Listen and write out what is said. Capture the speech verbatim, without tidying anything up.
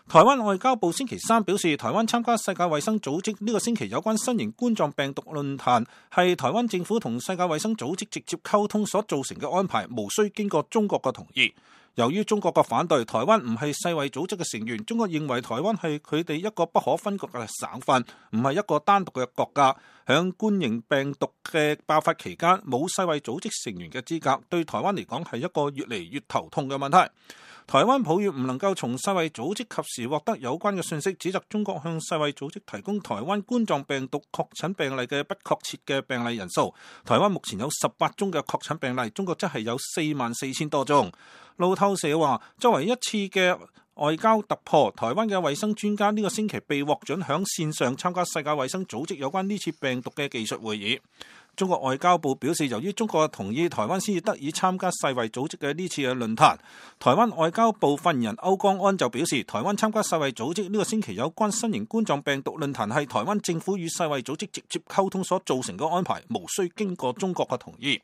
台灣外交部星期三表示，台灣參加世界衛生組織呢個星期有關新型冠狀病毒論壇，係台灣政府同世界衛生組織直接溝通所造成嘅安排，無需經過中國嘅同意。由於中國嘅反對，台灣唔係世衛組織嘅成員，中國認為台灣係佢哋一個不可分割嘅省份，唔係一個單獨嘅國家。響冠型病毒嘅爆發期間，冇世衛組織成員嘅資格，對台灣嚟講係一個越嚟越頭痛嘅問題。台灣抱怨唔能夠從世衛組織及時獲得有關嘅信息，指責中國向世衛組織提供台灣冠狀病毒確診病例嘅不確切嘅病例人數。台灣目前有十八宗嘅確診病例，中國則係有四萬四千多宗。路透社話，作為一次嘅外交突破，台灣嘅衛生專家呢個星期被獲准響線上參加世界衛生組織有關呢次病毒嘅技術會議。中國外交部表示，由於中國嘅同意，台灣先至得以參加世衛組織嘅呢次嘅論壇。台灣外交部發言人歐江安就表示，台灣參加世衛組織呢個星期有關新型冠狀病毒論壇係台灣政府與世衛組織直接溝通所造成嘅安排，無需經過中國嘅同意。